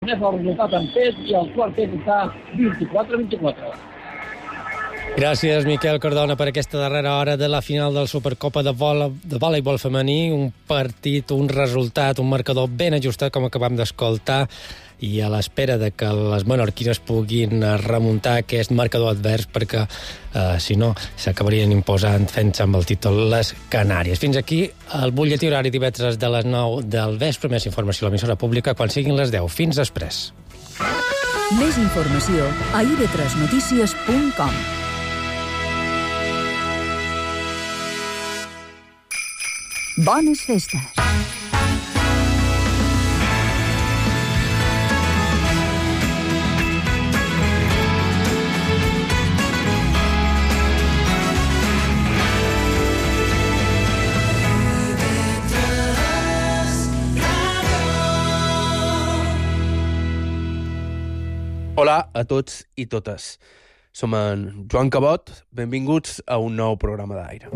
Tornem al resultat en pes i el quart pes està 24-24. Gràcies, Miquel Cardona, per aquesta darrera hora de la final del Supercopa de voleibol femení. Un partit, un resultat, un marcador ben ajustat, com acabam d'escoltar, i a l'espera de que les menorquines puguin remuntar aquest marcador advers, perquè, si no, s'acabarien imposant fent-se amb el títol les Canàries. Fins aquí el butlletí horari divendres de les 9 del vespre. Més informació a l'emissora pública quan siguin les 10. Fins després. Més informació a ib3notícies.com. Bones festes! Hola a tots i totes. Som en Joan Cabot. Benvinguts a un nou programa d'aire.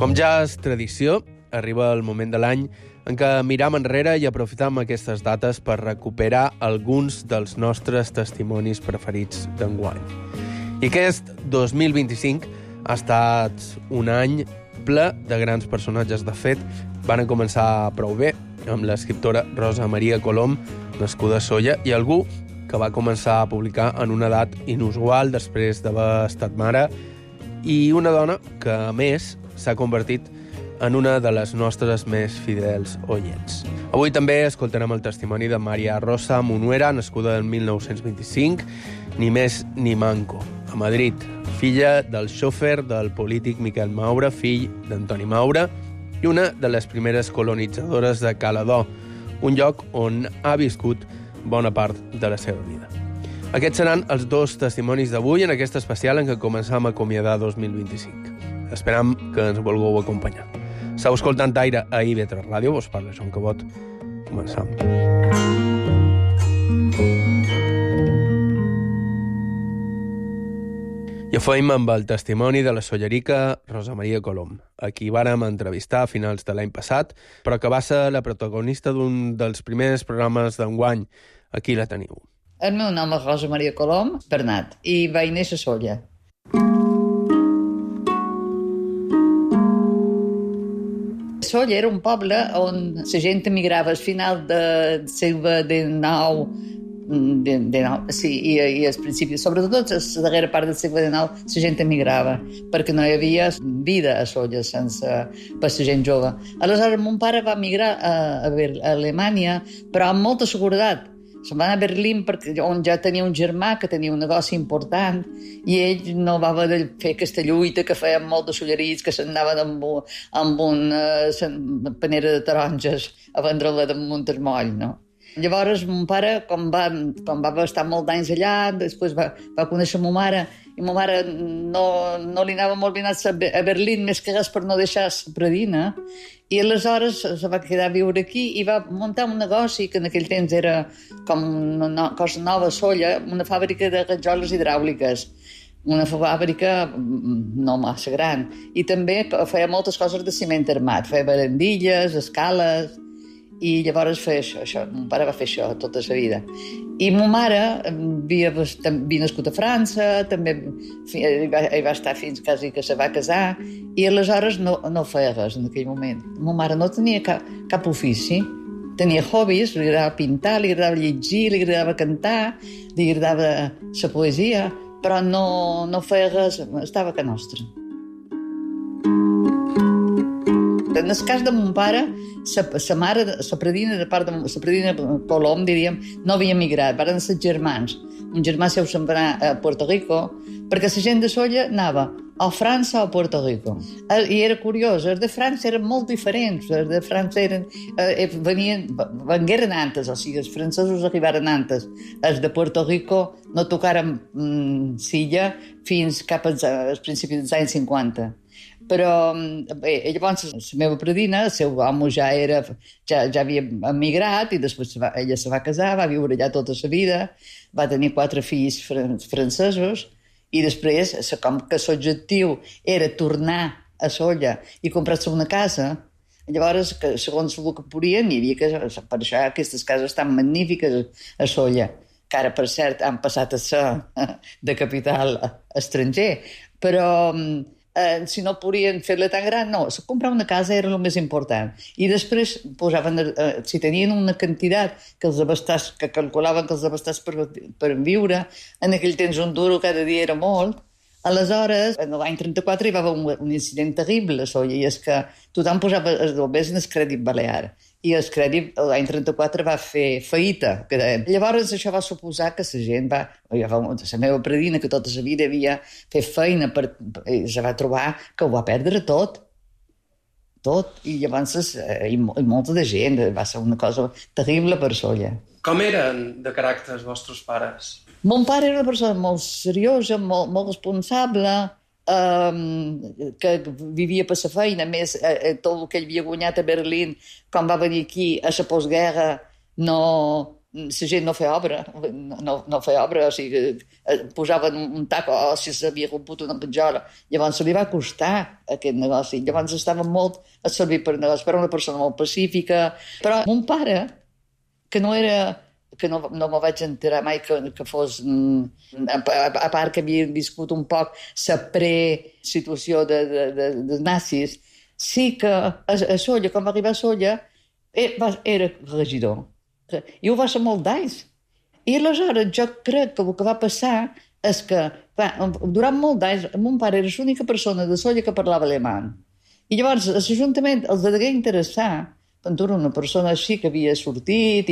Com ja és tradició, arriba el moment de l'any en què miram enrere i aprofitam aquestes dates per recuperar alguns dels nostres testimonis preferits d'enguany. I aquest 2025 ha estat un any ple de grans personatges. De fet, van començar prou bé, amb l'escriptora Rosa Maria Colom, nascuda a Sóller, i algú que va començar a publicar en una edat inusual després d'haver estat mare, i una dona que, a més, s'ha convertit en una de les nostres més fidels oients. Avui també escoltarem el testimoni de Maria Rosa Munuera, nascuda en 1925, ni més ni manco, a Madrid, filla del xòfer del polític Miquel Maura, fill d'Antoni Maura, i una de les primeres colonitzadores de Caladó, un lloc on ha viscut bona part de la seva vida. Aquests seran els dos testimonis d'avui en aquest especial en què començam a acomiadar 2025. Esperam que ens vulgueu acompanyar. Estau escoltant Aire a IB3 Ràdio, vos parla Joan Cabot. Començam. I ho feim amb el testimoni de la sollerica Rosa Maria Colom, a qui vàrem entrevistar a finals de l'any passat, però que va ser la protagonista d'un dels primers programes d'enguany. Aquí la teniu. El meu nom és Rosa Maria Colom Bernat i vaig néixer a Sóller. Sóller era un poble on la gent emigrava al final del segle XIX, i al principi, sobretot a la darrera part del segle XIX, la gent emigrava, perquè no hi havia vida a Sóller per la gent jove. Aleshores, mon pare va emigrar a Alemanya, però amb molta seguretat. Se'n va anar a Berlín, on ja tenia un germà que tenia un negoci important, i ell no va haver de fer aquesta lluita que feien molts de sollerits, que s'anaven amb una panera de taronges a vendre-la damunt el moll, no? Llavors, mon pare, com va estar molts anys allà, després va conèixer ma mare, i ma mare no li anava molt bé anar a Berlín, més que res per no deixar la predina, i aleshores se va quedar a viure aquí i va muntar un negoci que en aquell temps era com una cosa nova a Sóller, una fàbrica de rajoles hidràuliques, una fàbrica no massa gran, i també feia moltes coses de ciment armat, feia barandilles, escales, i llavors feia això. Mon pare va fer això tota la vida. I ma mare havia nascut a França, també hi va estar fins quasi que se va casar, i aleshores no feia res en aquell moment. Ma mare no tenia cap ofici, tenia hobbies, li agradava pintar, li agradava llegir, li agradava cantar, li agradava la poesia, però no feia res, estava a casa nostra. En el cas de mon pare, sa mare, la predina de part de la predina Colom, diríem, no havia emigrat, van ser germans. Un germà seu se'n va anar a Puerto Rico, perquè la gent de Sóller anava a França o a Puerto Rico. I era curiós, els de França eren molt diferents, els de França vengueren antes, o sigui, els francesos arribaren antes. Els de Puerto Rico no tocaren Silla fins cap als principis dels anys 50. Però bé, llavors la meva predina, el seu amo ja havia emigrat i després ella se va casar, va viure allà tota la vida, va tenir 4 fills francesos i després, com que l'objectiu era tornar a Sóller i comprar-se una casa, Llavors, que, segons el que podien, hi havia que, per això aquestes cases tan magnífiques a Sóller, que ara, per cert, han passat a ser de capital estranger, però si no podien fer-la tan gran, no, comprar una casa era el més important. I després posaven, si tenien una quantitat que els abastàs, que calculaven que els abastàs per viure, en aquell temps un duro cada dia era molt. Aleshores, en l'any 34 hi va haver un incident terrible a Sóller, i és que tothom posava els bombers en el crèdit balear. I el crèdit l'any 34 va fer feïta. Llavors això va suposar que la gent va... La meva predina, que tota la vida havia fet feina, se va trobar que ho va perdre tot. Tot. I llavors i molta de gent. Va ser una cosa terrible per Sóller. Com eren de caràcter els vostres pares? Mon pare era una persona molt seriosa, molt responsable, que vivia per la feina. A més, tot el que ell havia guanyat a Berlín, quan va venir aquí a la postguerra, la gent no feia obra, no feia obra, o sigui, posaven un tac o si s'havia romput una petjola. Llavors se li va costar aquest negoci. Llavors estava molt a servir per negoci, però una persona molt pacífica. Però mon pare, que no me vaig enterar mai que fos, a part que havia viscut un poc la pre-situació de nazis, sí que a Sóller, quan va arribar a Sóller, era regidor. I ho va ser molt d'anys. I aleshores jo crec que el que va passar és que durant molt d'anys mon pare era l'única persona de Sóller que parlava alemany. I llavors l'Ajuntament els degué interessar Ventura, una persona així que havia sortit,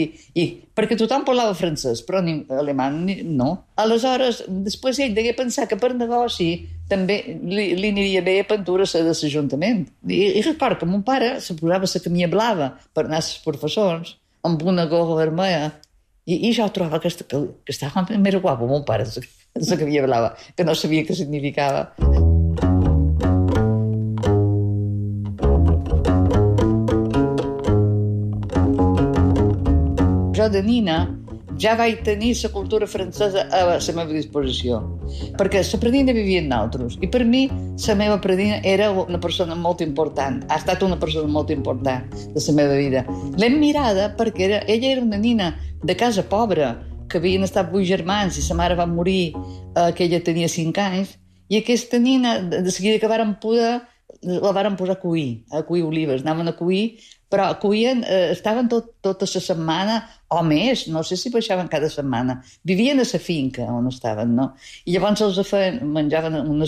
perquè tothom parlava francès, però alemany no. Aleshores, després ell degué pensar que per negoci també li aniria bé a Ventura ser de l'Ajuntament. I record que mon pare se posava la camisa blava per anar als professors, amb una gorra vermella, i jo trobava que estava més guapo, mon pare, la camisa blava, que no sabia què significava. Jo de nina ja vaig tenir la cultura francesa a la meva disposició, perquè la predina vivia en nosaltres, i per mi la meva predina era una persona molt important, ha estat una persona molt important de la meva vida. L'hem mirada perquè ella era una nina de casa pobra, que havien estat 8 germans i sa mare va morir que ella tenia 5 anys, i aquesta nina, de seguida que varen poder, la varen posar a cuir olives, anaven a cuir, però cuien, estaven tota la setmana o més, no sé si baixaven cada setmana, vivien a la finca on estaven, no? I llavors els menjaven una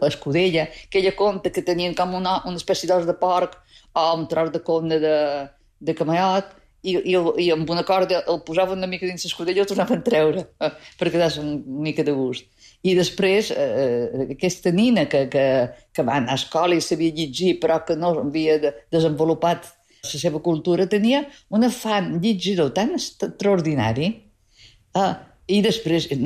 escudella, que ella conta que tenien com una espècie d'os de porc o un tros de corna de camallot, i amb una corda el posaven una mica dins l'escudella i el tornaven a treure, per quedar-se una mica de gust. I després, aquesta nina que va anar a escola i sabia llegir, però que no havia desenvolupat la seva cultura, tenia un afany llegidor tan extraordinari, i després, que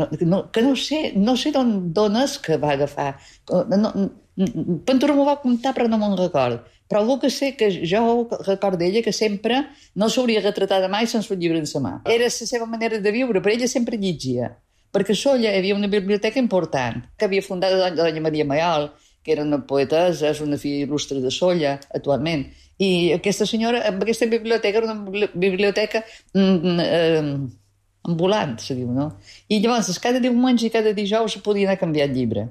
no sé d'on és que va agafar. Ventura m'ho va contar, però no me'n record. Però el que sé que jo recordo d'ella que sempre no s'hauria retratat mai sense un llibre en sa mà. Era la seva manera de viure, però ella sempre llegia. Perquè a Sóller hi havia una biblioteca important, que havia fundat Doña Maria Mayol, que era una poetessa, és una filla il·lustre de Sóller, actualment. I aquesta senyora, amb aquesta biblioteca, era una biblioteca ambulant, se diu, no? I llavors, cada diumenge i cada dijous se podia anar a canviar el llibre.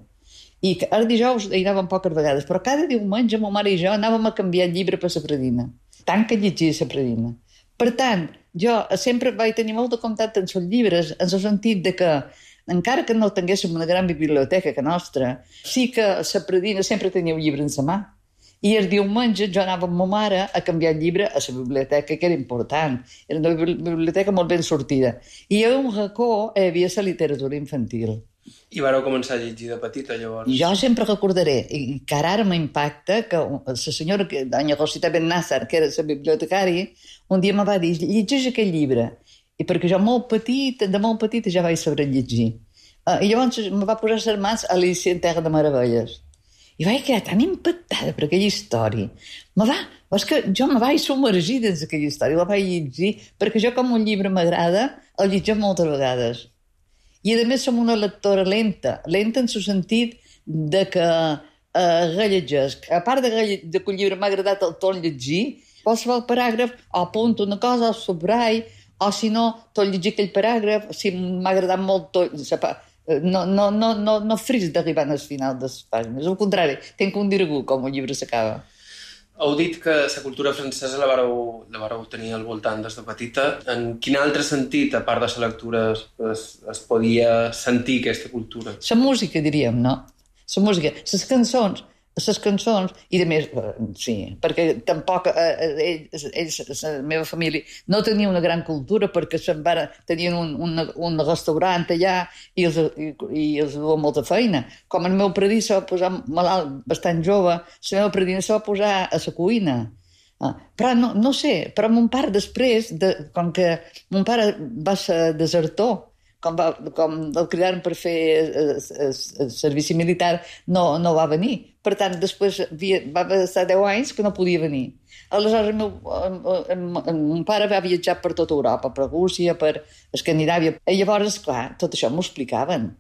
I els dijous hi anàvem poques vegades, però cada diumenge ma mare i jo anàvem a canviar el llibre per la predina. Tant que llegia la predina. Per tant, jo sempre vaig tenir molt de contacte amb els llibres, en el sentit de que, encara que no tinguéssim una gran biblioteca que nostra, sí que la predina sempre tenia un llibre en sa mà. I el diumenge jo anava amb ma mare a canviar el llibre a la biblioteca, que era important. Era una biblioteca molt ben sortida. I a un racó hi havia la literatura infantil. I vareu començar a llegir de petita, llavors? Jo sempre recordaré, i que ara m'impacta, que la senyora, doña Rosita Ben Nassar, que era la bibliotecària, un dia me va dir, llegeix aquest llibre. I perquè jo de molt petita ja vaig saber llegir. I llavors me va posar les mans a Alicia en Terra de Meravelles. I vaig quedar tan impactada per aquella història. És que jo me vaig submergir dins aquella història, la vaig llegir, perquè jo, com un llibre m'agrada, el llegeixo moltes vegades. I, a més, som una lectora lenta en el sentit de que rellegesc. A part de que el llibre m'ha agradat el torn llegir, qualsevol paràgraf, o apunto una cosa, o subrai, o si no, tot llegir aquell paràgraf, si m'ha agradat molt tot, no fris d'arribar al final de les pàgines. Al contrari, tinc un dirigú com el llibre s'acaba. Heu dit que la cultura francesa la vareu tenir al voltant des de petita. En quin altre sentit, a part de la lectura, es podia sentir aquesta cultura? La música, diríem, no? La música, les cançons, i de més, sí, perquè tampoc ells, la meva família, no tenia una gran cultura perquè tenien un restaurant allà i els duia molta feina. Com el meu predí se va posar malalt bastant jove, la meva predina se va posar a la cuina. Però no sé, però mon pare després, com que mon pare va ser desertor, com el cridaren per fer el servici militar, no va venir. Per tant, després va estar 10 anys que no podia venir. Aleshores, mon pare va viatjar per tota Europa, per Rússia, per Escandinàvia. I llavors, clar, tot això m'ho explicaven.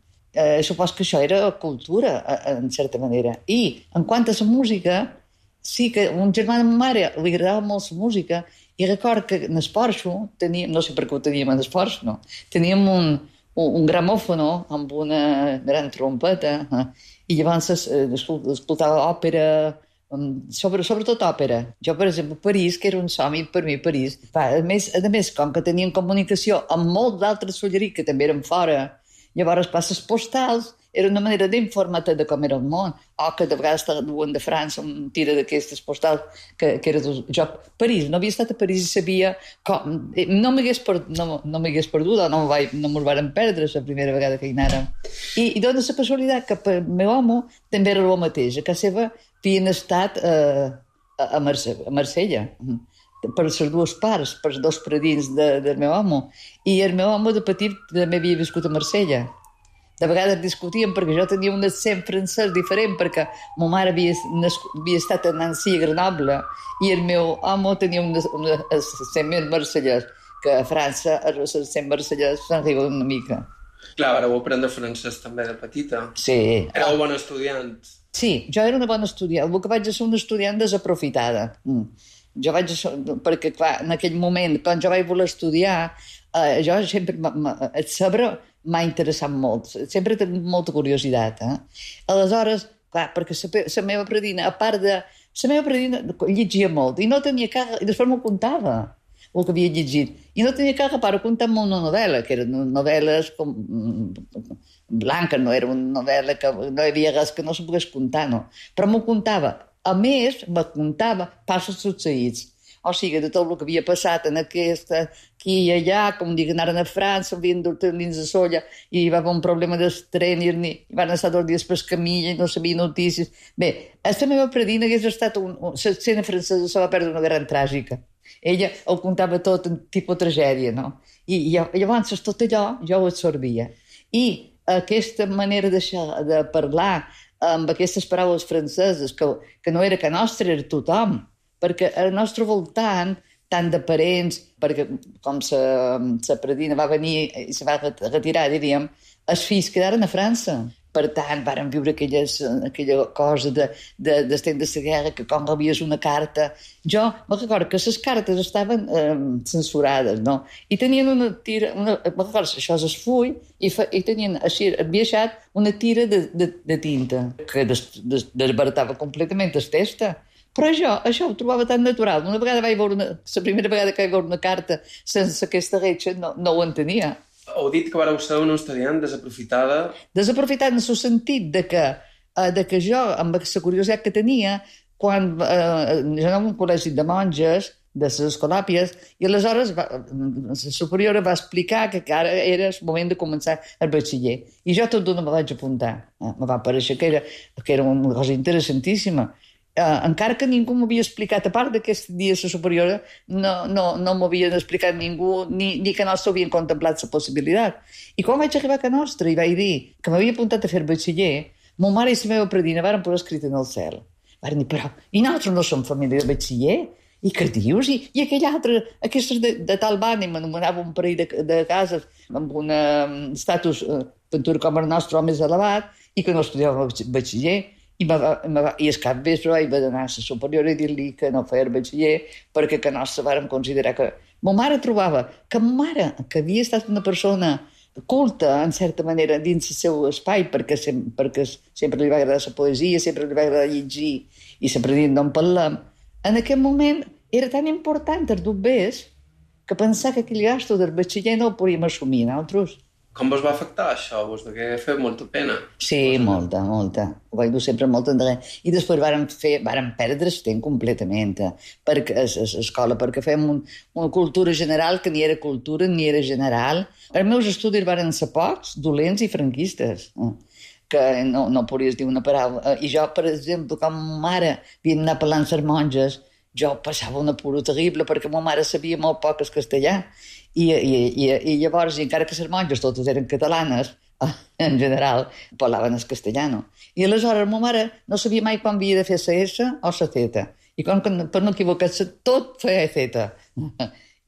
Supos que això era cultura, en certa manera. I, en quant a la música, sí que un germà de ma mare li agradava molt la música i record que en el Porxo teníem, no sé per què ho teníem en el Porxo, no? Teníem un gramòfono amb una gran trompeta i llavors escoltava òpera, sobretot òpera. Jo, per exemple, París, que era un somni per mi, París. A més, com que tenien comunicació amb molts d'altres solleries que també eren fora, llavors les postals era una manera d'informar-te de com era el món, o que de vegades te duen de França un tira d'aquestes postals que era jo. París, no havia estat a París i sabia com... No m'hagués perdut, o no mos varen perdre la primera vegada que hi anàrem. I dona la casualitat que per meu home també era el mateix. A casa seva havien estat a Marsella, per les dues parts, per els dos predins del meu home. I el meu home de petit també havia viscut a Marsella. De vegades discutíem perquè jo tenia un accent francès diferent perquè ma mare havia estat a Nancy, a Grenoble, i el meu home tenia un accent més marsellès, que a França l'accent marsellès s'enriba una mica. Clar, vareu aprendre francès també de petita. Sí. Éreu bon estudiant. Sí, jo era una bona estudiant. El que vaig ser una estudiant desaprofitada. Perquè, clar, en aquell moment, quan jo vaig voler estudiar, jo sempre... El saber m'ha interessat molt. Sempre he tingut molta curiositat. Aleshores, clar, perquè la meva predina, a part de... La meva predina llegia molt i no tenia cap... I després m'ho contava, el que havia llegit. I no tenia cap reparo comptar-me una novel·la, que eren novel·les com... blanca, no era una novel·la que no hi havia res que no se pogués contar, no. Però m'ho contava. A més, me contava passos succeïts. O sigui, de tot el que havia passat en aquesta, aquí i allà, com dic, anaren a França, havien d'ortenir dins de solla, i hi va haver un problema del tren, i van estar 2 dies per camilla, i no sabia notícies. Bé, la meva predina hagués estat l'escena francesa se va perdre una gran tràgica. Ella ho contava tot en tipus tragèdia, no? I llavors tot allò jo ho absorbia. I aquesta manera de parlar amb aquestes paraules franceses, que no era que nostra, era tothom, perquè al nostre voltant, tant de parents, perquè com la predina va venir i se va retirar, diríem, els fills quedaren a França. Per tant, varen viure aquella cosa d'estem de la guerra, que com rebies una carta... Jo me recordo que les cartes estaven censurades, no? I tenien una tira... Me recordo, això és el full, i tenien així enviaixat una tira de tinta, que desbaratava completament el text. Però això ho trobava tan natural. La primera vegada que vaig veure una carta sense aquesta reixa no ho entenia. Heu dit que vareu ser una estudiant desaprofitada. Desaprofitada en el sentit de que jo, amb la curiositat que tenia, quan jo anava a un col·legi de monges, de les escolàpies, i aleshores la superiora va explicar que ara era el moment de començar el batxiller. I jo tot d'una me vaig apuntar. Me va parèixer que era una cosa interessantíssima. Encara que ningú m'havia explicat, a part d'aquest dia la superiora, no m'havien explicat ningú, ni que nostre havien contemplat la possibilitat. I quan vaig arribar a Can Nostra i vaig dir que m'havia apuntat a fer batxiller, ma mare i la meva predina varen posar escrit en el cel. Varen dir, però, i nosaltres no som família de batxiller? I què dius? I aquell altre, aquestes de tal banda, m'anomenava un parell de cases amb un estatus, pintura com el nostre, o més elevat, i que no estudiava batxiller. I el cap vespre vaig anar a la superior i dir-li que no feia el batxiller perquè que no se vàrem considerar que... Ma mare trobava que ma mare, que havia estat una persona culta, en certa manera, dins el seu espai, perquè sempre li va agradar la poesia, sempre li va agradar llegir i sempre dient d'on parlem, en aquest moment era tan important els dobbers que pensar que aquell gasto del batxiller no el podíem assumir nosaltres. Com vos va afectar això? Vos degué fer molta pena? Sí, molta. Ho vaig dur sempre molt endarrere. I després vàrem perdre el temps completament perquè a l'escola, perquè fèiem una cultura general que ni era cultura ni era general. Els meus estudis varen ser pocs, dolents i franquistes, que no podies dir una paraula. I jo, per exemple, com ma mare havia d'anar parlant amb les monges, jo passava un apuro terrible perquè ma mare sabia molt poc el castellà. I llavors, encara que les monges totes eren catalanes, en general, parlaven el castellano. I aleshores ma mare no sabia mai quan havia de fer la S o la Z. I com que per no equivocar-se, tot feia Z.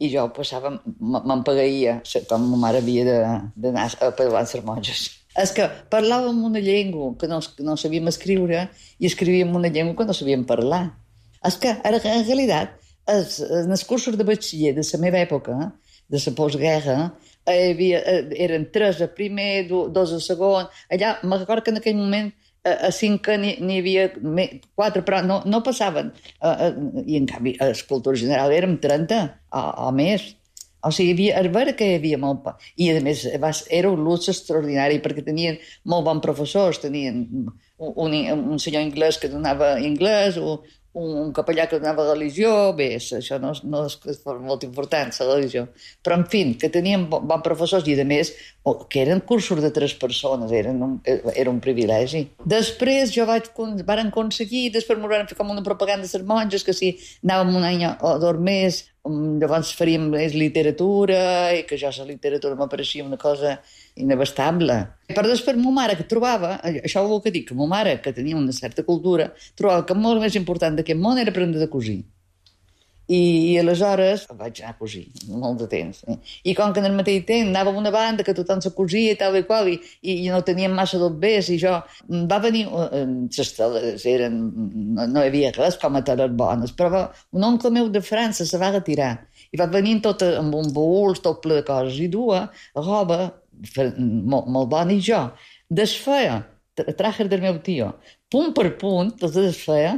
I jo passava, m'empagueia, com ma mare havia d'anar a parlar amb les monges. És que parlàvem una llengua que no sabíem escriure i escrivíem una llengua que no sabíem parlar. És que, en realitat, en els cursos de batxiller de la meva època, de la postguerra, eren 3 a primer, 2 a segon. Allà, me'n recordo que en aquell moment a 5 n'hi havia 4, però no passaven. I en canvi, a l'escultura general érem 30 o més. O sigui, és vera que hi havia molt... I, a més, era un luxe extraordinari perquè tenien molt bons professors. Tenien un senyor anglès que donava anglès, un capellà que donava religió, bé, això no és molt important, la religió, però en fi, que tenien bons professors i a més, que eren cursos de 3 persones, era un privilegi. Després varen aconseguir, després m'ho van fer com una propaganda de les monges, que si anàvem un any o 2 més, llavors faríem literatura, i que jo la literatura m'apareixia una cosa inabastable. Però després ma mare que trobava, això ho que dic, que ma mare, que tenia una certa cultura, trobava que molt més important d'aquest món era aprendre de cosir. I aleshores vaig anar a cosir molt de temps. I com que en el mateix temps anava a una banda que tothom se cosia i tal i qual, i no teníem massa dobbers, i jo va venir, les teles no hi havia res com a teles bones, però un oncle meu de França se va retirar i va venir tot amb un baúl, tot ple de coses, i duia roba molt bona, i jo desfeia trajes del meu tio, punt per punt, els desfeia.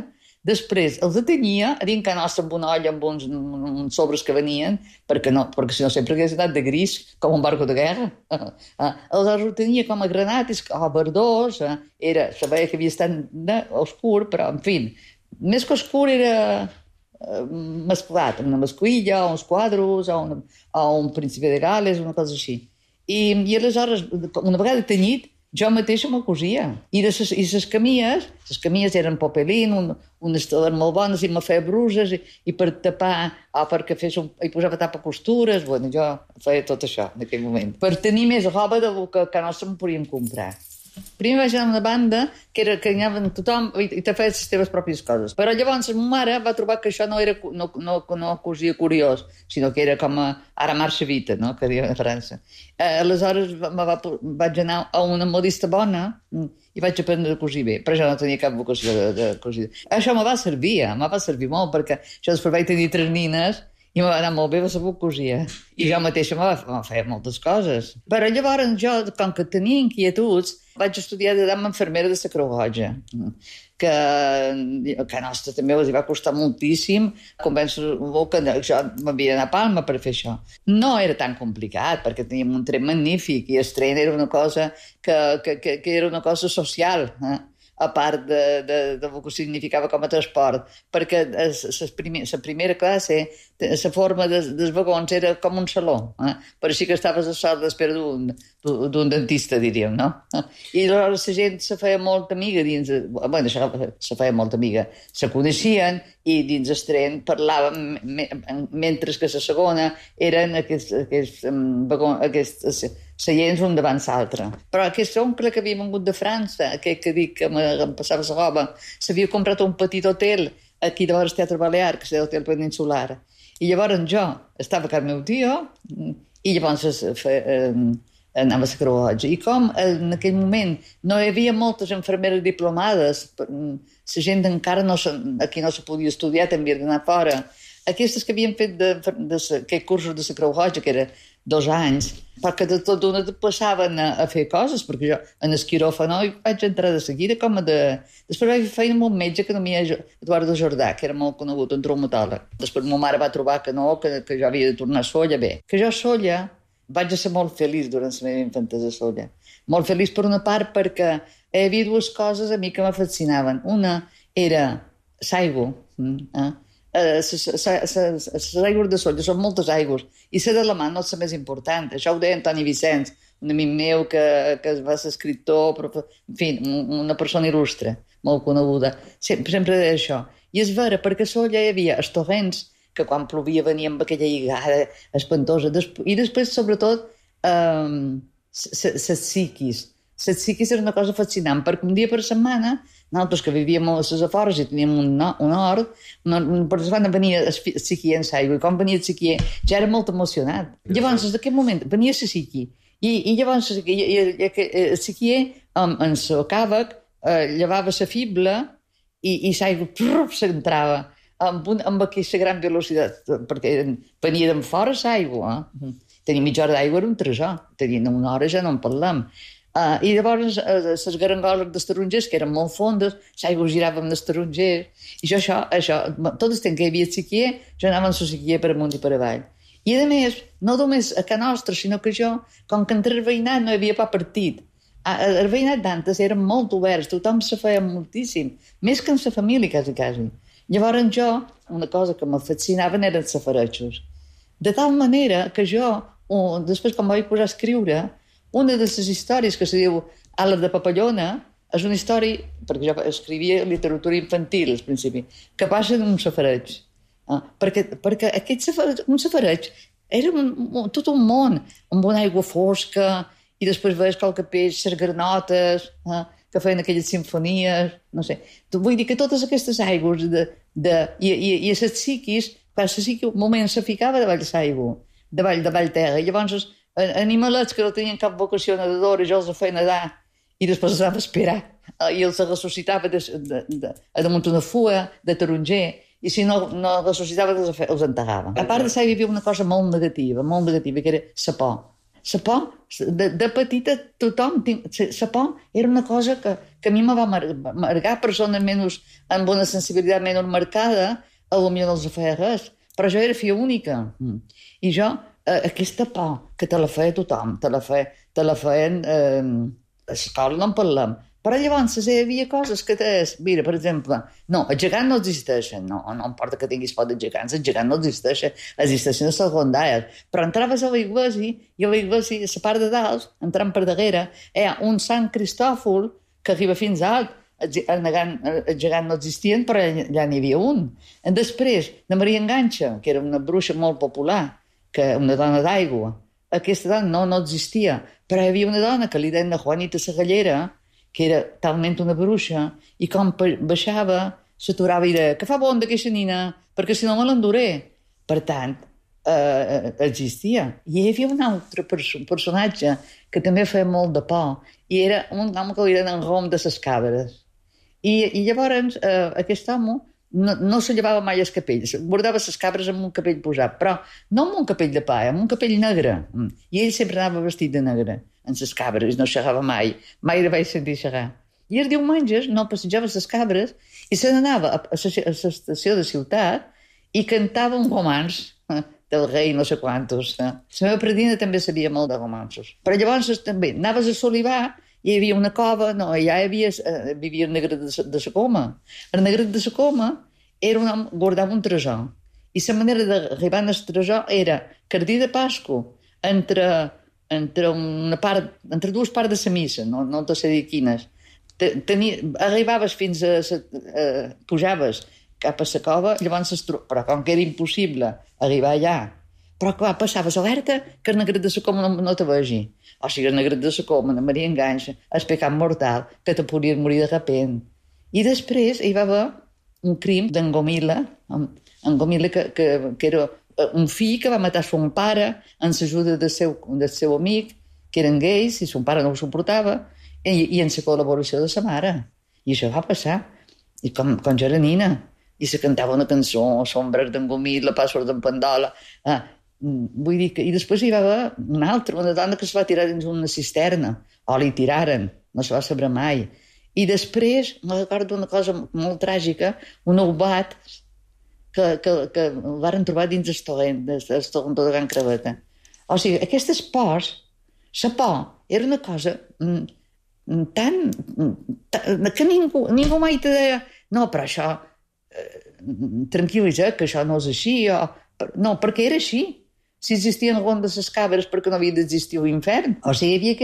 Després els atenia a dins casa nostra amb una olla amb uns sobres que venien, perquè si no sempre hagués anat de gris, com un barco de guerra. Aleshores ho tenia com a granates, verdós, se veia que havia estat oscur, però, en fi, més que oscur era mesclat, una mascuilla, o uns quadros, o un príncipe de Gales, una cosa així. I aleshores, una vegada tenyit, jo mateixa m'ho cosia. I les camies eren popelín, unes teles molt bones, i me feia bruses, i per tapar, o perquè hi posava tapacostures, bueno, jo feia tot això en aquell moment. Per tenir més roba del que a nostre em podíem comprar. Primer vaig anar a una banda que anaven tothom i te feia les teves pròpies coses. Però llavors ma mare va trobar que això no cosia curiós, sinó que era com ara marxa vita, no?, que diuen a França. Aleshores vaig anar a una modista bona i vaig aprendre a cosir bé, però jo no tenia cap vocació de cosir. Això me va servir molt, perquè jo després vaig tenir 3 nines i m'ha anat molt bé, va saber cosia. I jo mateixa me feia moltes coses. Però llavors jo, com que tenia inquietuds, vaig estudiar d'infermera de la Creu Roja, que a nostra també els va costar moltíssim convèncer-ho que jo m'havia d'anar a Palma per fer això. No era tan complicat, perquè teníem un tren magnífic i el tren era una cosa que era una cosa social, a part del que significava com a transport, perquè la primera classe, la forma dels vagons era com un saló, per així que estaves a sol d'espera d'un dentista, diríem, no? I aleshores la gent se feia molt amiga dins... Bueno, se feia molt amiga. Se coneixien i dins el tren parlaven, mentre que la segona eren aquests seients un davant l'altre. Però aquest oncle que havia vingut de França, aquest que dic que em passava la roba, s'havia comprat un petit hotel aquí de vora el Teatre Balear, que és l'hotel peninsular. I llavors jo estava amb el meu tio i llavors anava a la Creu Roja. I com en aquell moment no hi havia moltes infermeres diplomades, la gent encara aquí no se podia estudiar, també havia d'anar fora. Aquestes que havien fet aquests cursos de la Creu Roja, que era 2 anys, perquè de tot d'una passaven a fer coses, perquè jo en el quiròfano vaig entrar de seguida Després vaig fer amb un metge que nomia Eduardo Jordà, que era molt conegut, un traumatòleg. Després ma mare va trobar que no, que jo havia de tornar a Sóller. Bé, que jo a Sóller vaig ser molt feliç durant la meva infantesa a Sóller. Molt feliç per una part perquè hi havia 2 coses a mi que me fascinaven. Una era l'aigua, les aigües de Sóller són moltes aigües i la de la mà no és la més important. Això ho deia Antoni Vicenç, un amic meu que va ser escriptor, però, en fi, una persona il·lustre, molt coneguda. Sempre deia això. I és vera, perquè a Sóller hi havia els torrents, que quan plovia venia amb aquella lligada espantosa. I després, sobretot, les psiquis. Les psiquis era una cosa fascinant, perquè un dia per setmana, nosaltres que vivíem a les afores i teníem un hort, per setmana venia el psiquier en l'aigua, i quan venia el psiquier ja era molt emocionat. Llavors, en aquell moment, venia el psiquier, i llavors el psiquier, en el càvec, llevava la fibla i l'aigua s'entrava amb aquesta gran velocitat, perquè venia d'en fora l'aigua. Tenir mitja hora d'aigua era un tresor, tenint una hora ja no en parlem. I llavors les garangoles dels tarongers, que eren molt fondes, l'aigua girava amb els tarongers, i jo això, tot el temps que hi havia psiquier, jo anava amb el psiquier per amunt i per avall. I a més, no només a casa nostra, sinó que jo, com que entre el veïnat no hi havia pas partit, el veïnat d'antes eren molt oberts, tothom se feia moltíssim, més que en la família, quasi. Llavors jo, una cosa que me fascinaven eren els safaretxos. De tal manera que jo, després quan vaig posar a escriure, una de les històries que se diu Ales de Papallona és una història, perquè jo escrivia literatura infantil al principi, que passa d'un safareig. Perquè un safareig era tot un món, amb una aigua fosca, i després veies qualque peix, les granotes, que feien aquelles simfonies, no sé. Vull dir que totes aquestes aigües i les psiquis, quan la psiqui un moment se ficava davall l'aigua, davall terra, i llavors animalets que no tenien cap vocació nedadora, jo els feia nedar i després els anava a esperar i els ressuscitava damunt una fua de taronger i si no ressuscitava els enterrava. A part de això hi havia una cosa molt negativa, que era la por. La por, de petita tothom, la por era una cosa que a mi me va marcar persones amb una sensibilitat menys marcada, potser no els feia res, però jo era filla única i jo aquesta por que te la feia tothom, te la feien a l'escola, no en parlem, però llavors hi havia coses que mira, per exemple, no, els gegants no existeixen, no importa que tinguis por dels gegants, els gegants no existeixen els secundaris, però entraves a l'església i a l'església, a la part de dalt, entrant per darrere, hi ha un Sant Cristòfol que arriba fins a alt, els gegants no existien, però ja n'hi havia un. Després, de Maria Enganxa, que era una bruixa molt popular, que una dona d'aigua. Aquesta dona no existia, però hi havia una dona que li deien Juanita Sagallera, que era talment una bruixa, i com baixava, s'aturava i deia que fa bon d'aquesta nina, perquè si no me l'enduré. Per tant, existia. I hi havia un altre personatge que també feia molt de por, i era un home que li deien en Rom de les Cabres. I llavors aquest home no se llevava mai els capells, guardava les cabres amb un capell posat, però no amb un capell de pa, amb un capell negre. I ell sempre anava vestit de negre, amb les cabres, no xerrava mai li vaig sentir xerrar. I els diumenges no passejava les cabres i se n'anava a l'estació de ciutat i cantava un romanç del rei no sé quantos. La meva predina també sabia molt de romanços. Però llavors també anaves a Solivà, hi havia una cova, allà vivia el Negret de la Coma. El Negret de la Coma guardava un tresor. I la manera d'arribar al tresor era que el dia de Pasqua, entre dues parts de la missa, no te sé dir quines, arribaves fins a... pujaves cap a la cova, llavors però com que era impossible arribar allà, però clar, passaves alerta que el Negret de la Coma no te vegi. O sigui, el Negret de la Coma, la Maria Enganxa, el pecat mortal, que te podies morir de repent. I després hi va haver un crim d'en Gomila, que era un fill que va matar son pare amb l'ajuda del seu amic, que eren gais, i son pare no ho suportava, i en la col·laboració de sa mare. I això va passar. I quan jo era nina, i se cantava una cançó, Sombres d'engomit, La Password d'en Pandola. Vull dir que... I després hi va haver una altra, una dona que es va tirar dins una cisterna, o li tiraren, no se va saber mai. I després, me recordo una cosa molt tràgica, un oubat que el varen trobar dins el torrent de Can Craveta. O sigui, aquestes pors, la por era una cosa que ningú mai te deia no, però això tranquil·litza, que això no és així no, perquè era així. Si existien algunes de les cabres, perquè no havia d'existir l'infern. O sigui, hi havia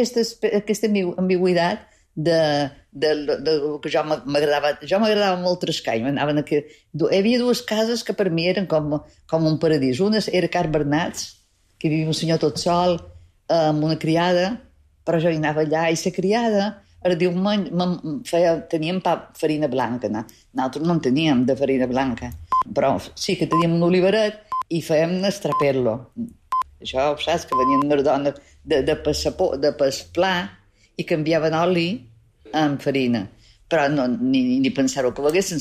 aquesta ambigüitat de que jo m'agradava. Jo m'agradava molt Trescall. Hi havia dues cases que per mi eren com un paradís. Una era Car Bernats, que hi havia un senyor tot sol amb una criada, però jo hi anava allà i la criada el diumenge teníem farina blanca. Nosaltres no en teníem de farina blanca, però sí que teníem un oliveret i fèiem estraper-lo. Això, saps, que venien unes dones de pla i canviaven oli amb farina. Però ni pensar-ho que ho haguessin,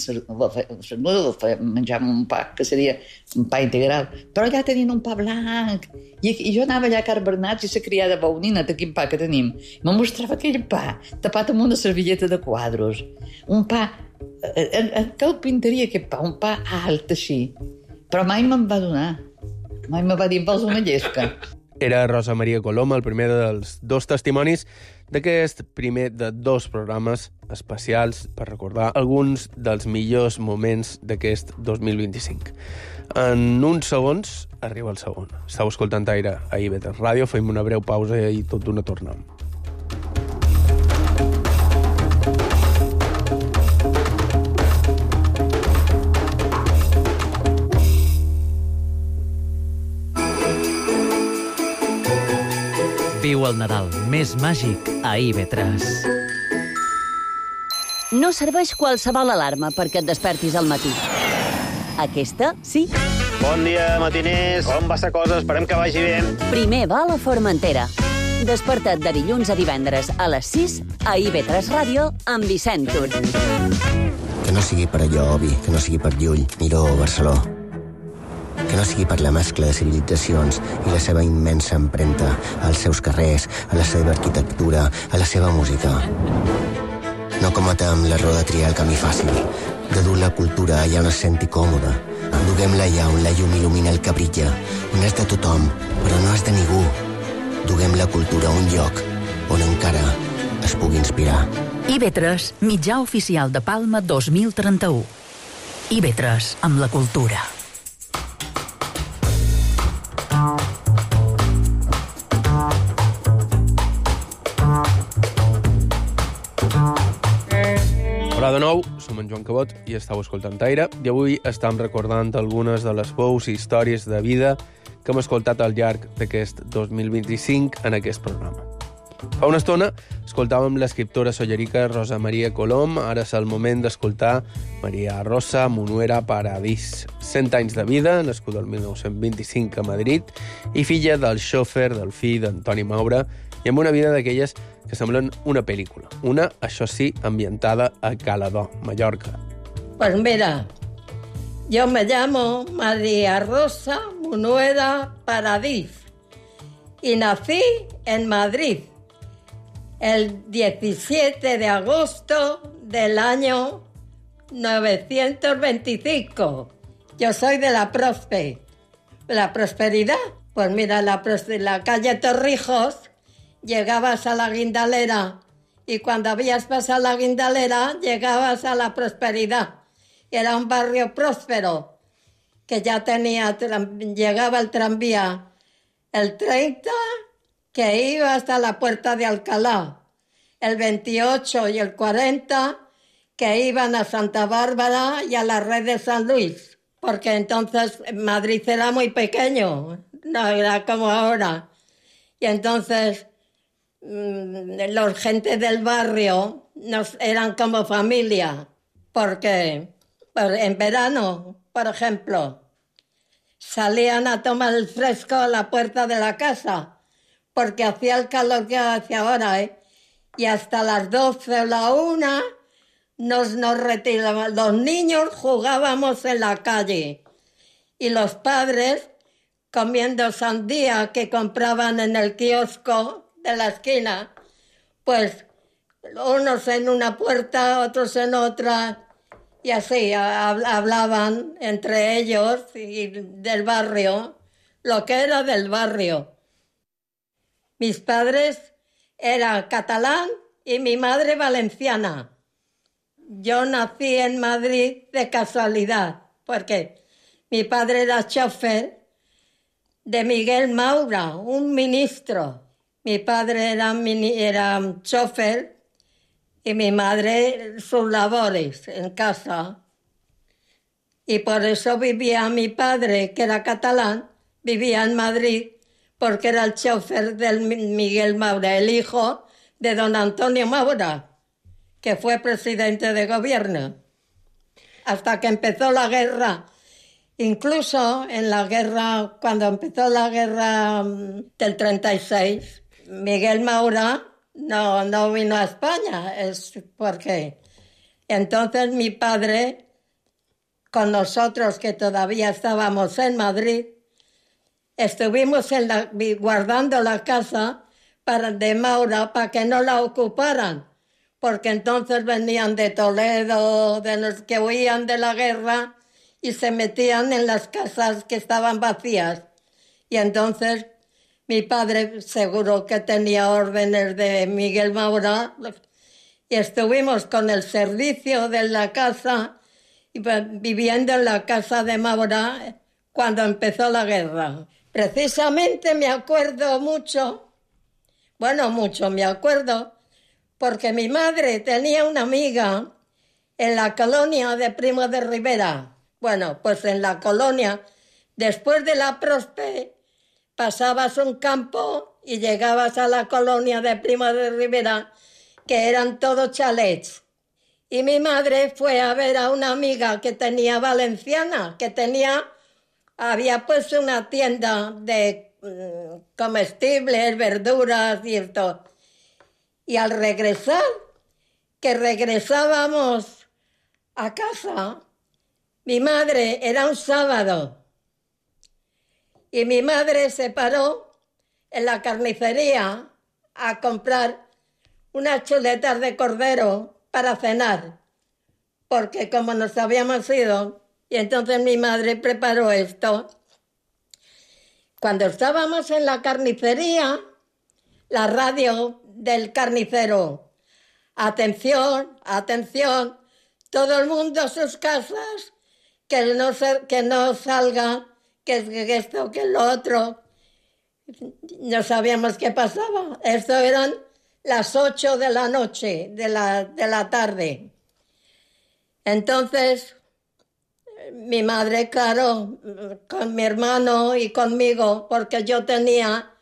menjàvem un pa, que seria un pa integral. Però allà tenien un pa blanc. I jo anava allà a Car Bernats i la criada Baunina, quin pa que tenim. Me mostrava aquell pa, tapat amb una servilleta de quadros. Un pa... Que el pintaria, aquest pa? Un pa alt, així. Però mai me'n va donar. Mai me va dir, vols una llesca? Era Rosa Maria Colom, el primer dels dos testimonis d'aquest primer de dos programes especials per recordar alguns dels millors moments d'aquest 2025. En uns segons arriba el segon. Estau escoltant Aire a IB3 Ràdio, fem una breu pausa i tot d'una tornem. Viu el Nadal més màgic a IB3. No serveix qualsevol alarma perquè et despertis al matí. Aquesta, sí. Bon dia, matiners. Com va la cosa? Esperem que vagi bé. Primer va a la Formentera. Desperta't de dilluns a divendres a les 6 a IB3 Ràdio amb Vicent Tur. Que no sigui per allò, Obi, que no sigui per Llull, Miró o Barceló. Que no sigui per la mescla de civilitzacions i la seva immensa empremta als seus carrers, a la seva arquitectura, a la seva música. No cometem l'error de triar el camí fàcil, de dur la cultura allà on es senti còmode. Duguem-la allà on la llum il·lumina el que brilla, on és de tothom, però no és de ningú. Duguem la cultura a un lloc on encara es pugui inspirar. IB3, mitjà oficial de Palma 2031. IB3, amb la cultura. Hola de nou, som en Joan Cabot i estàu escoltant Aire, i avui estem recordant algunes de les veus i històries de vida que hem escoltat al llarg d'aquest 2025 en aquest programa. Fa una estona escoltàvem l'escriptora sollerica Rosa Maria Colom, ara és el moment d'escoltar Maria Rosa Munuera Paradís. 100 anys de vida, nascuda el 1925 a Madrid, i filla del xòfer del fill d'Antoni Maura, i amb una vida d'aquelles que semblen una pel·lícula. Una, això sí, ambientada a Caladó, Mallorca. Pues mira, yo me llamo María Rosa Munuera Paradís y nací en Madrid el 17 de agosto del año 925. Yo soy de la Prospe. ¿La Prosperidad? Pues mira, la calle Torrijos, llegabas a la Guindalera y cuando habías pasado la Guindalera llegabas a la Prosperidad. Era un barrio próspero que ya llegaba el tranvía el 30 que iba hasta la Puerta de Alcalá, el 28 y el 40 que iban a Santa Bárbara y a la Red de San Luis, porque entonces Madrid era muy pequeño, no era como ahora. Y entonces los gente del barrio eran como familia, porque en verano, por ejemplo, salían a tomar el fresco a la puerta de la casa, porque hacía el calor que hace ahora, ¿eh? Y hasta las 12 o la 1 nos retiraban. Los niños jugábamos en la calle y los padres comiendo sandía que compraban en el kiosco de la esquina, pues unos en una puerta, otros en otra, y así hablaban entre ellos y del barrio, lo que era del barrio. Mis padres eran catalán y mi madre valenciana. Yo nací en Madrid de casualidad, porque mi padre era chofer de Miguel Maura, un ministro. Mi padre era chofer y mi madre sus labores en casa. Y por eso vivía mi padre, que era catalán, vivía en Madrid, porque era el chofer del Miguel Maura, el hijo de don Antonio Maura, que fue presidente de gobierno, hasta que empezó la guerra. Incluso en la guerra, cuando empezó la guerra del 36, Miguel Maura no vino a España, es porque entonces mi padre, con nosotros que todavía estábamos en Madrid, estuvimos guardando la casa de Maura para que no la ocuparan, porque entonces venían de Toledo, de los que huían de la guerra, y se metían en las casas que estaban vacías. Y entonces mi padre seguro que tenía órdenes de Miguel Maura, y estuvimos con el servicio de la casa, viviendo en la casa de Maura cuando empezó la guerra. Precisamente me acuerdo me acuerdo, porque mi madre tenía una amiga en la colonia de Primo de Rivera. Bueno, pues en la colonia, después de la Prospe, pasabas un campo y llegabas a la colonia de Primo de Rivera, que eran todos chalets. Y mi madre fue a ver a una amiga que tenía valenciana, había puesto una tienda de comestibles, verduras y esto. Y al regresar, que regresábamos a casa, mi madre, era un sábado, y mi madre se paró en la carnicería a comprar unas chuletas de cordero para cenar, porque como nos habíamos ido, y entonces mi madre preparó esto. Cuando estábamos en la carnicería, la radio del carnicero: atención, atención, todo el mundo a sus casas, que no salga, que esto, que lo otro. No sabíamos qué pasaba. Esto eran las 8 de la noche, de la tarde. Entonces, mi madre, claro, con mi hermano y conmigo, porque yo tenía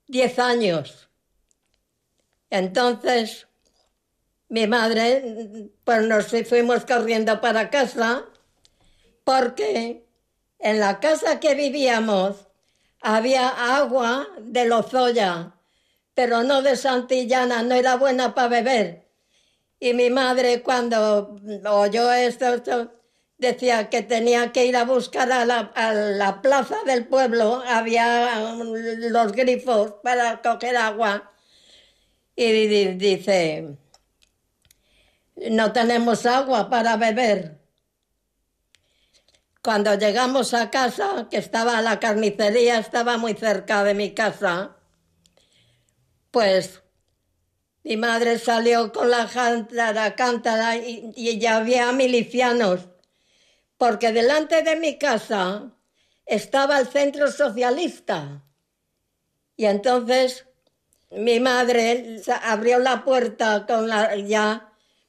10 años. Entonces, mi madre, pues nos fuimos corriendo para casa, porque en la casa que vivíamos había agua de Lozoya, pero no de Santillana, no era buena para beber. Y mi madre, cuando oyó esto, decía que tenía que ir a buscar a la plaza del pueblo, había los grifos para coger agua. Y dice: no tenemos agua para beber. Cuando llegamos a casa, que estaba la carnicería, estaba muy cerca de mi casa, pues mi madre salió con la cántara y ya había milicianos, porque delante de mi casa estaba el Centro Socialista. Y entonces mi madre abrió la puerta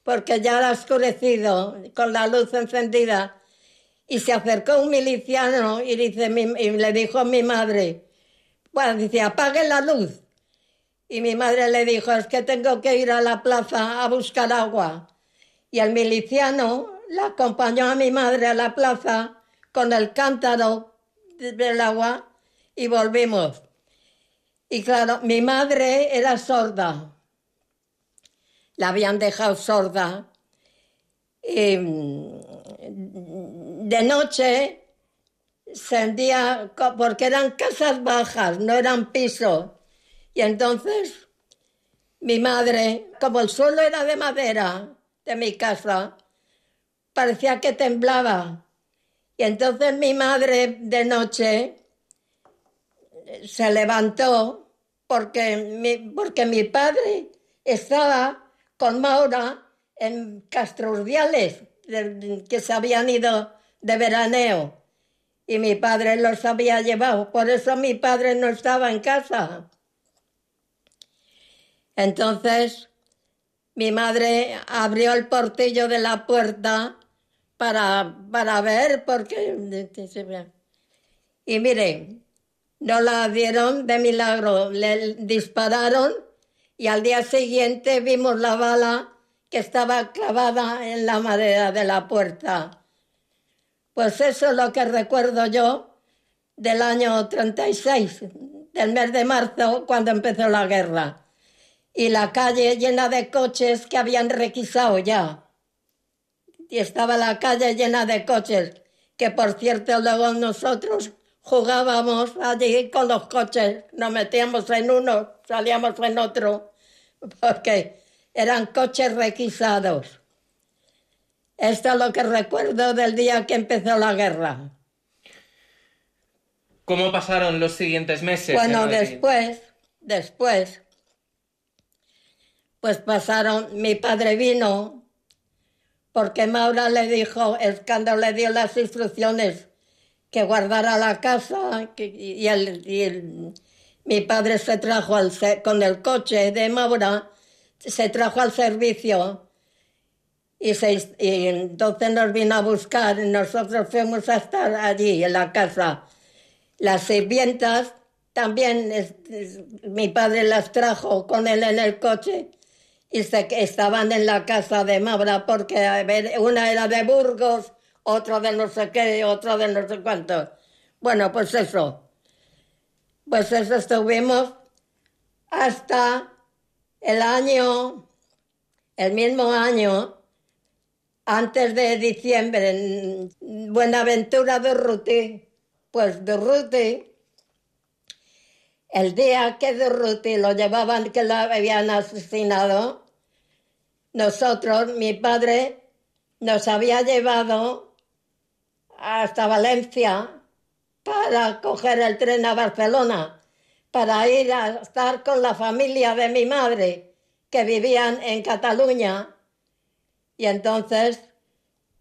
porque ya era oscurecido, con la luz encendida. Y se acercó un miliciano y le dijo a mi madre, dice, apague la luz. Y mi madre le dijo, es que tengo que ir a la plaza a buscar agua. Y el miliciano la acompañó a mi madre a la plaza con el cántaro del agua y volvimos. Y claro, mi madre era sorda. La habían dejado sorda. Y de noche sentía, porque eran casas bajas, no eran pisos. Y entonces mi madre, como el suelo era de madera de mi casa, parecía que temblaba. Y entonces mi madre de noche se levantó porque mi padre estaba con Maura en Castrurdiales, que se habían ido de veraneo. Y mi padre los había llevado. Por eso mi padre no estaba en casa. Entonces, mi madre abrió el portillo de la puerta para ver, porque... Y mire, no la dieron de milagro, le dispararon y al día siguiente vimos la bala que estaba clavada en la madera de la puerta. Pues eso es lo que recuerdo yo del año 36, del mes de marzo, cuando empezó la guerra. Y la calle llena de coches que habían requisado ya. Y estaba la calle llena de coches, que por cierto luego nosotros jugábamos allí con los coches, nos metíamos en uno, salíamos en otro, porque eran coches requisados. Esto es lo que recuerdo del día que empezó la guerra. ¿Cómo pasaron los siguientes meses? Bueno, después, pues pasaron, mi padre vino, porque Maura le dijo, es cuando le dio las instrucciones que guardara la casa, mi padre se trajo con el coche de Maura, se trajo al servicio y entonces nos vino a buscar y nosotros fuimos a estar allí en la casa. Las sirvientas también, mi padre las trajo con él en el coche y estaban en la casa de Maura porque una era de Burgos, otra de no sé qué, otra de no sé cuánto. Bueno, pues eso estuvimos hasta el mismo año, antes de diciembre, en Buenaventura Durruti. Pues Durruti, el día que Durruti lo llevaban, que lo habían asesinado, nosotros, mi padre, nos había llevado hasta Valencia para coger el tren a Barcelona, para ir a estar con la familia de mi madre, que vivían en Cataluña. Y entonces,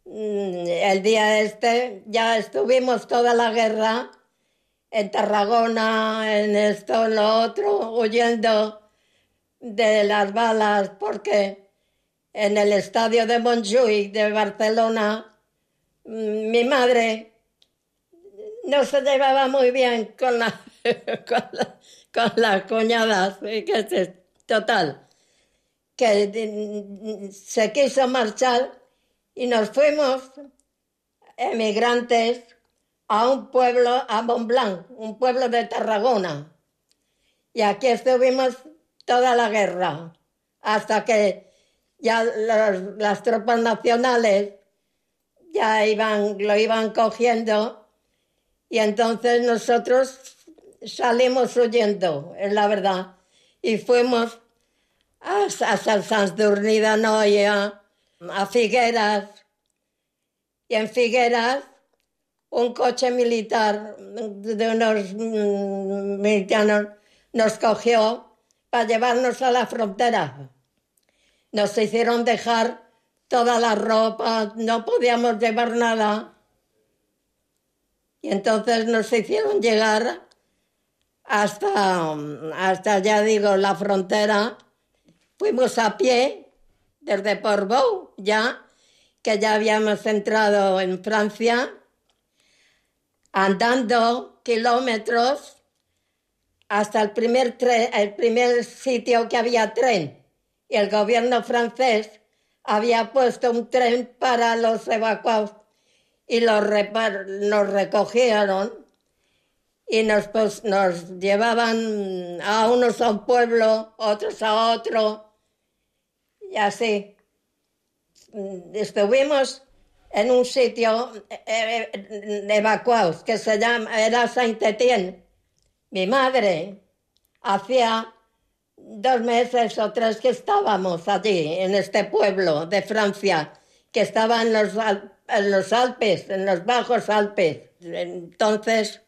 el día ya estuvimos toda la guerra en Tarragona, en esto, en lo otro, huyendo de las balas, porque en el estadio de Montjuïc de Barcelona, mi madre no se llevaba muy bien con las cuñadas, total, que se quiso marchar y nos fuimos emigrantes a un pueblo, a Montblanc, un pueblo de Tarragona. Y aquí estuvimos toda la guerra, hasta que ya las tropas nacionales ya lo iban cogiendo y entonces nosotros salimos huyendo, es la verdad. Y fuimos a Sant Sadurní d'Anoia, a Figueras, y en Figueras un coche militar de unos militanos nos cogió para llevarnos a la frontera. Nos hicieron dejar toda la ropa, no podíamos llevar nada. Y entonces nos hicieron llegar hasta ya digo, la frontera. Fuimos a pie desde Portbou, que ya habíamos entrado en Francia, andando kilómetros hasta el primer sitio que había tren. Y el gobierno francés había puesto un tren para los evacuados y nos recogieron y nos llevaban a unos a un pueblo, otros a otro, y así. Estuvimos en un sitio evacuados que era Saint-Étienne. Mi madre hacía 2 meses o 3 que estábamos allí, en este pueblo de Francia, que estaba en los Alpes, en los bajos Alpes. Entonces,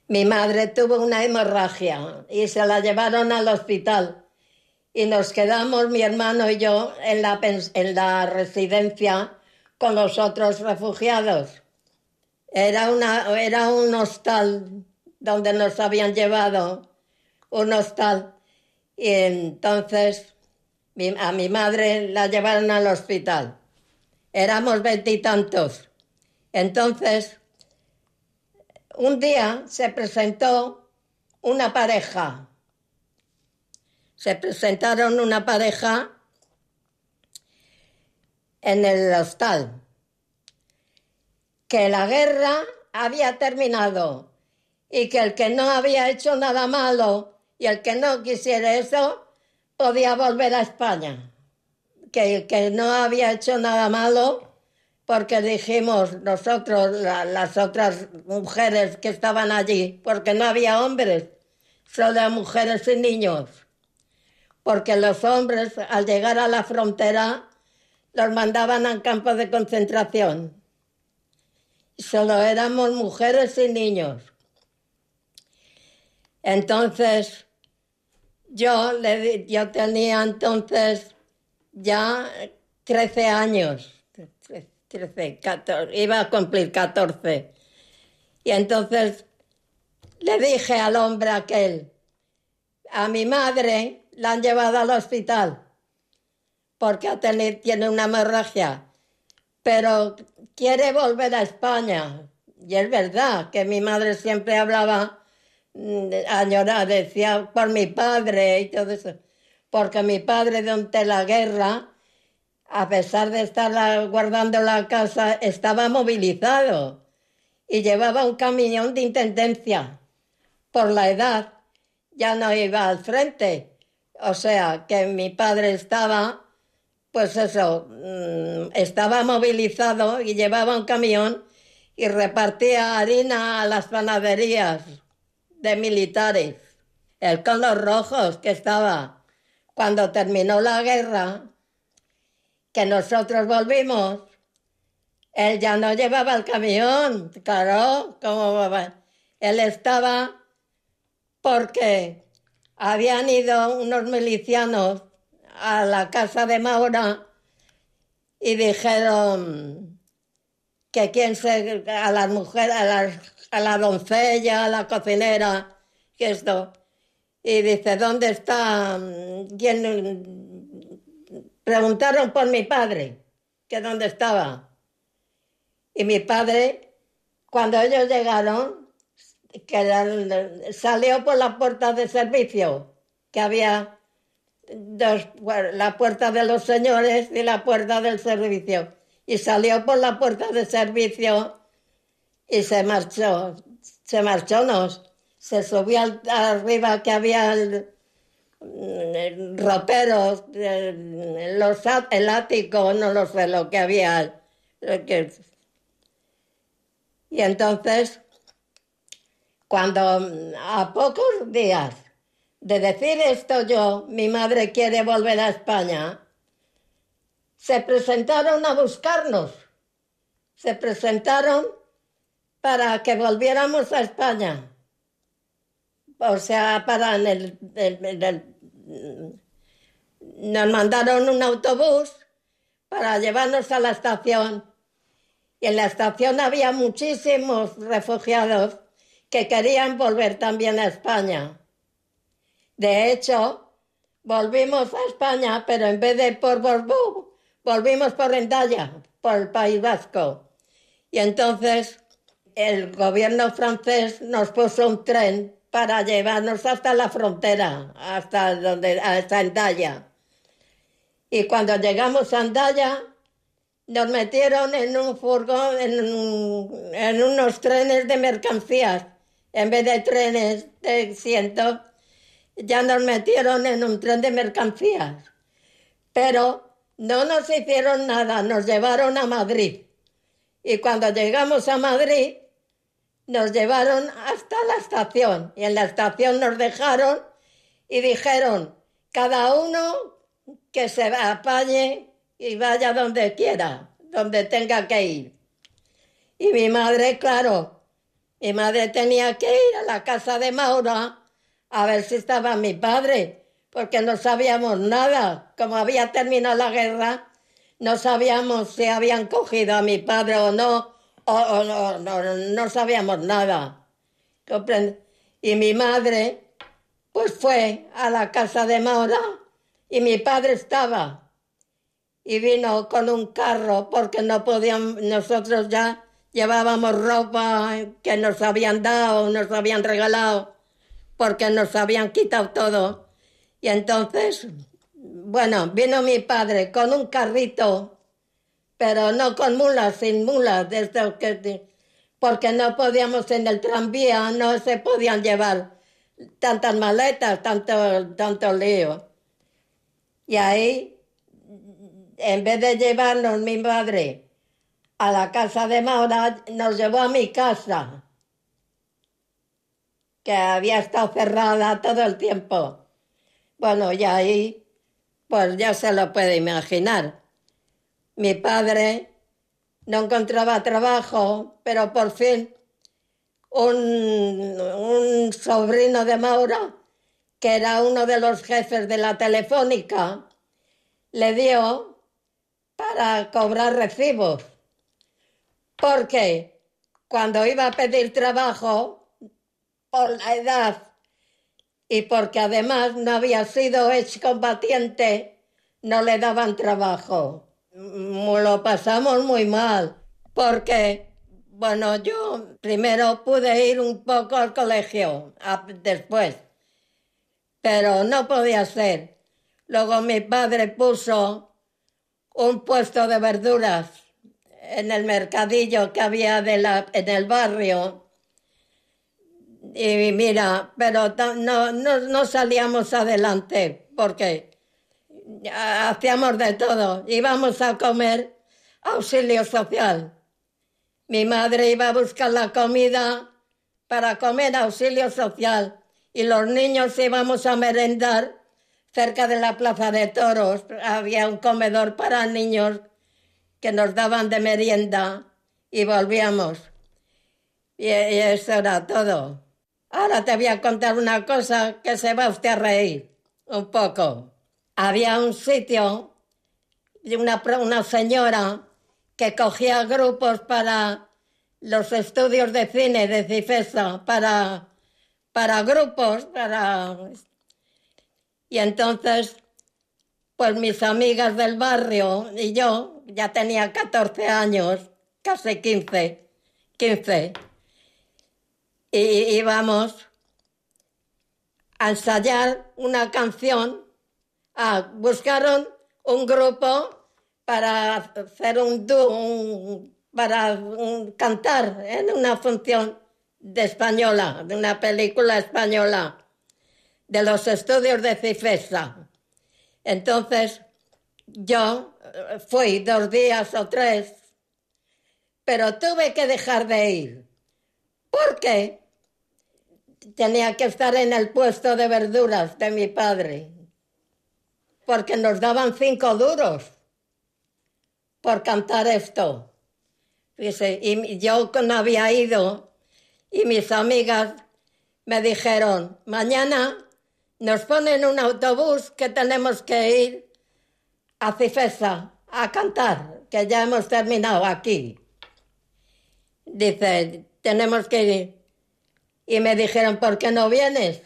mi madre tuvo una hemorragia y se la llevaron al hospital. Y nos quedamos, mi hermano y yo, en la residencia con los otros refugiados. Era un hostal donde nos habían llevado, un hostal. Y entonces a mi madre la llevaron al hospital. Éramos 20 y tantos. Entonces, un día se presentó una pareja. Se presentaron una pareja en el hostal. Que la guerra había terminado y que el que no había hecho nada malo y el que no quisiera eso podía volver a España. Que el que no había hecho nada malo, porque dijimos nosotros, las otras mujeres que estaban allí, porque no había hombres, solo mujeres y niños. Porque los hombres, al llegar a la frontera, los mandaban a campos de concentración. Y solo éramos mujeres y niños. Entonces, yo tenía entonces ya 13 años. 13, 14, iba a cumplir 14. Y entonces le dije al hombre aquel, a mi madre la han llevado al hospital porque tiene una hemorragia, pero quiere volver a España. Y es verdad que mi madre siempre hablaba, añoraba, decía por mi padre y todo eso, porque mi padre durante la guerra, a pesar de estar guardando la casa, estaba movilizado y llevaba un camión de intendencia. Por la edad ya no iba al frente. O sea, que mi padre estaba, pues eso, estaba movilizado y llevaba un camión y repartía harina a las panaderías de militares. Él con los rojos que estaba. Cuando terminó la guerra, que nosotros volvimos, él ya no llevaba el camión, claro, él estaba porque habían ido unos milicianos a la casa de Maura y dijeron que a las mujeres, a la doncella, a la cocinera, que esto, y dice, ¿dónde está? Preguntaron por mi padre, que dónde estaba. Y mi padre, cuando ellos llegaron, salió por la puerta de servicio, que había la puerta de los señores y la puerta del servicio. Y salió por la puerta de servicio y se marchó. Se subió arriba que había roperos, el ático, no lo sé lo que había. Y entonces, cuando a pocos días de decir esto mi madre quiere volver a España, se presentaron a buscarnos. Se presentaron para que volviéramos a España. O sea, nos mandaron un autobús para llevarnos a la estación. Y en la estación había muchísimos refugiados que querían volver también a España. De hecho, volvimos a España, pero en vez de por Borbú, volvimos por Hendaya, por el País Vasco. Y entonces el gobierno francés nos puso un tren para llevarnos hasta la frontera, hasta Hendaya. Y cuando llegamos a Hendaya, nos metieron en un furgón, en unos trenes de mercancías. En vez de trenes de asiento, ya nos metieron en un tren de mercancías. Pero no nos hicieron nada, nos llevaron a Madrid. Y cuando llegamos a Madrid, nos llevaron hasta la estación. Y en la estación nos dejaron y dijeron, cada uno que se apañe y vaya donde quiera, donde tenga que ir. Y mi madre, claro, mi madre tenía que ir a la casa de Maura a ver si estaba mi padre, porque no sabíamos nada. Como había terminado la guerra, no sabíamos si habían cogido a mi padre o no, no sabíamos nada. Y mi madre, pues fue a la casa de Maura y mi padre estaba. Y vino con un carro porque no podíamos, nosotros ya llevábamos ropa que nos habían dado, nos habían regalado, porque nos habían quitado todo. Y entonces, bueno, vino mi padre con un carrito, pero no con mulas, sin mulas, porque no podíamos en el tranvía, no se podían llevar tantas maletas, tanto lío. Y ahí, en vez de llevarnos mi madre a la casa de Maura, nos llevó a mi casa, que había estado cerrada todo el tiempo. Bueno, y ahí, pues ya se lo puede imaginar. Mi padre no encontraba trabajo, pero por fin un sobrino de Maura, que era uno de los jefes de la Telefónica, le dio para cobrar recibos. Porque cuando iba a pedir trabajo, por la edad y porque además no había sido excombatiente, no le daban trabajo. Lo pasamos muy mal, porque, bueno, yo primero pude ir un poco al colegio, después, pero no podía ser. Luego mi padre puso un puesto de verduras en el mercadillo que había en el barrio. Y mira, pero no salíamos adelante porque hacíamos de todo. Íbamos a comer auxilio social. Mi madre iba a buscar la comida para comer auxilio social y los niños íbamos a merendar cerca de la Plaza de Toros. Había un comedor para niños que nos daban de merienda y volvíamos. Y eso era todo. Ahora te voy a contar una cosa que se va usted a reír un poco. Había un sitio de una señora que cogía grupos para los estudios de cine de Cifesa, para grupos, Y entonces, pues mis amigas del barrio y yo, ya tenía 14 años, casi 15, y íbamos a ensayar una canción. Buscaron un grupo para hacer para cantar en una función de española, de una película española, de los estudios de Cifesa. Entonces, yo fui 2 días o 3, pero tuve que dejar de ir, porque tenía que estar en el puesto de verduras de mi padre, porque nos daban 5 duros por cantar esto. Y yo no había ido, y mis amigas me dijeron, mañana nos ponen un autobús que tenemos que ir a Cifesa a cantar, que ya hemos terminado aquí. Dice, tenemos que ir. Y me dijeron, ¿por qué no vienes?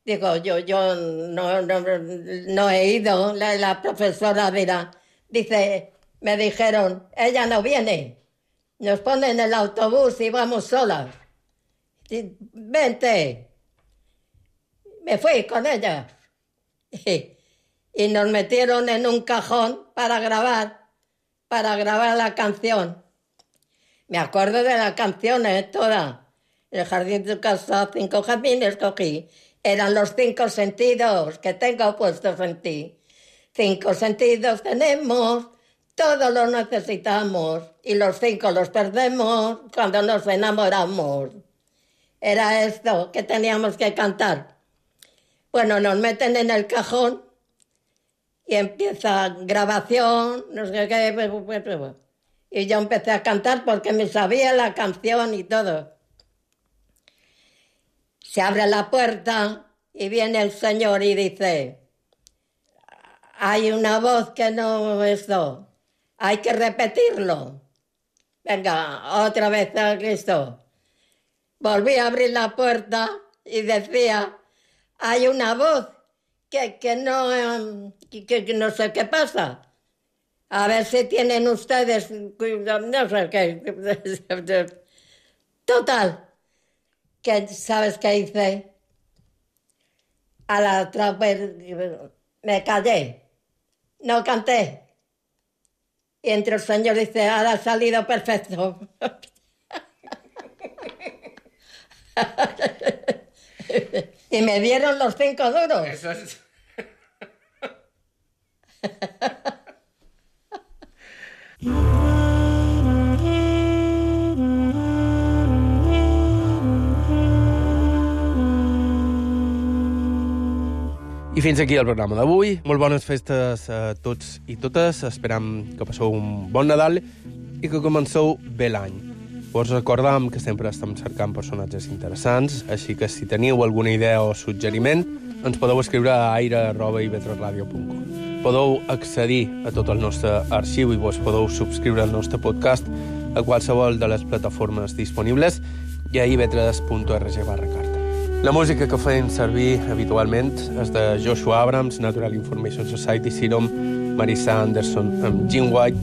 Digo, yo no he ido. La profesora dirá, dice, me dijeron, ella no viene. Nos ponen el autobús y vamos solas. Vente. Me fui con ellas. Y nos metieron en un cajón para grabar para grabar la canción. Me acuerdo de la canción, toda. El jardín de casa, 5 jardines cogí. Eran los 5 sentidos que tengo puestos en ti. 5 sentidos tenemos, todos los necesitamos. Y los 5 los perdemos cuando nos enamoramos. Era esto que teníamos que cantar. Bueno, nos meten en el cajón y empieza grabación, no sé qué. Y yo empecé a cantar porque me sabía la canción y todo. Se abre la puerta y viene el señor y dice: hay una voz que no esto, hay que repetirlo. Venga, otra vez a Cristo. Volví a abrir la puerta y decía: hay una voz que no sé qué pasa. A ver si tienen ustedes, no sé qué. Total, que ¿sabes qué hice? A la otra vez me callé, no canté. Y entre el señor dice: ahora ha salido perfecto. Y me dieron los 5 duros. Eso es... I fins aquí el programa d'avui. Molt bones festes a tots i totes. Esperam que passeu un bon Nadal i que comenceu bé l'any. Us recordam que sempre estem cercant personatges interessants, així que si teniu alguna idea o suggeriment, ens podeu escriure a aire@ivetresradio.com. Podeu accedir a tot el nostre arxiu i vos podeu subscriure al nostre podcast a qualsevol de les plataformes disponibles i a ivetres.org/carta. La música que fem servir habitualment és de Joshua Abrams, Natural Information Society, Serum, Marissa Anderson amb Jim White,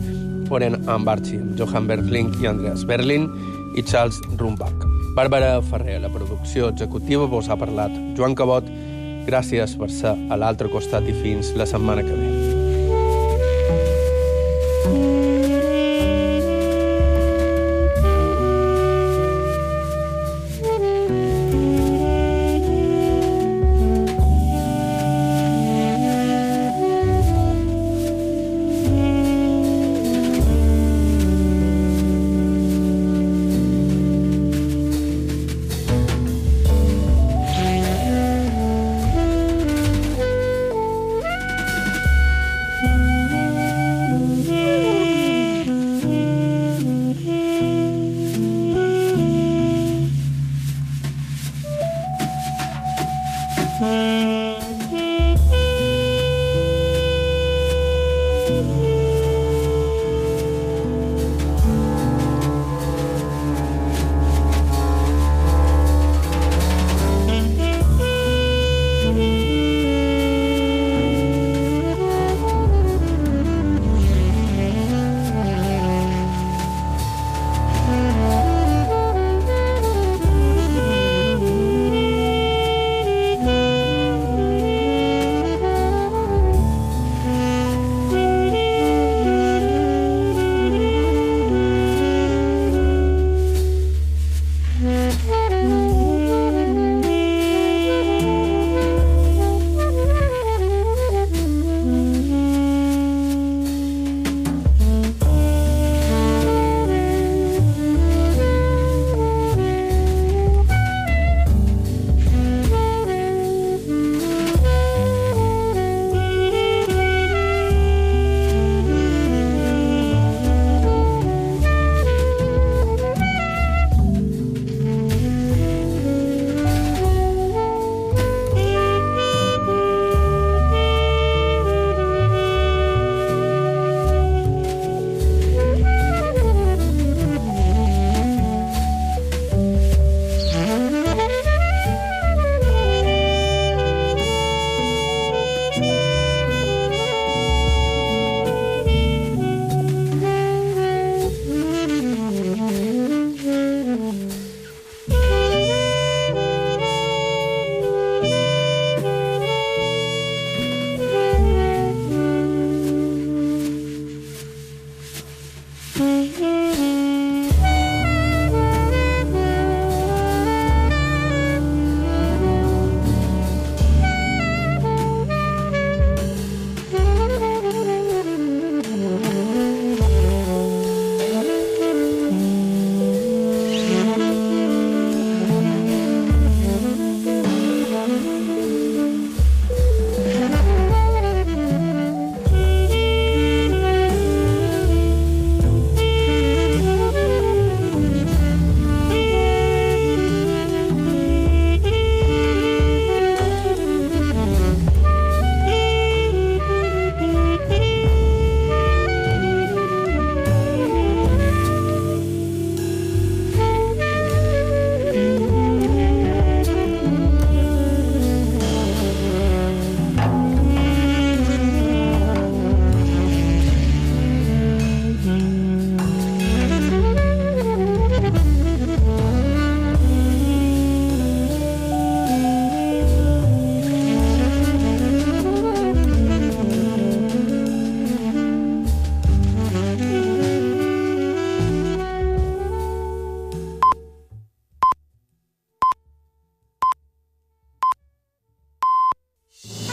Oren Ambarchi amb Johan Bergling i Andreas Berlin i Charles Rumbach. Bàrbara Ferrer, la producció executiva, vos ha parlat Joan Cabot. Gràcies per ser a l'altre costat i fins la setmana que ve. Mm-hmm.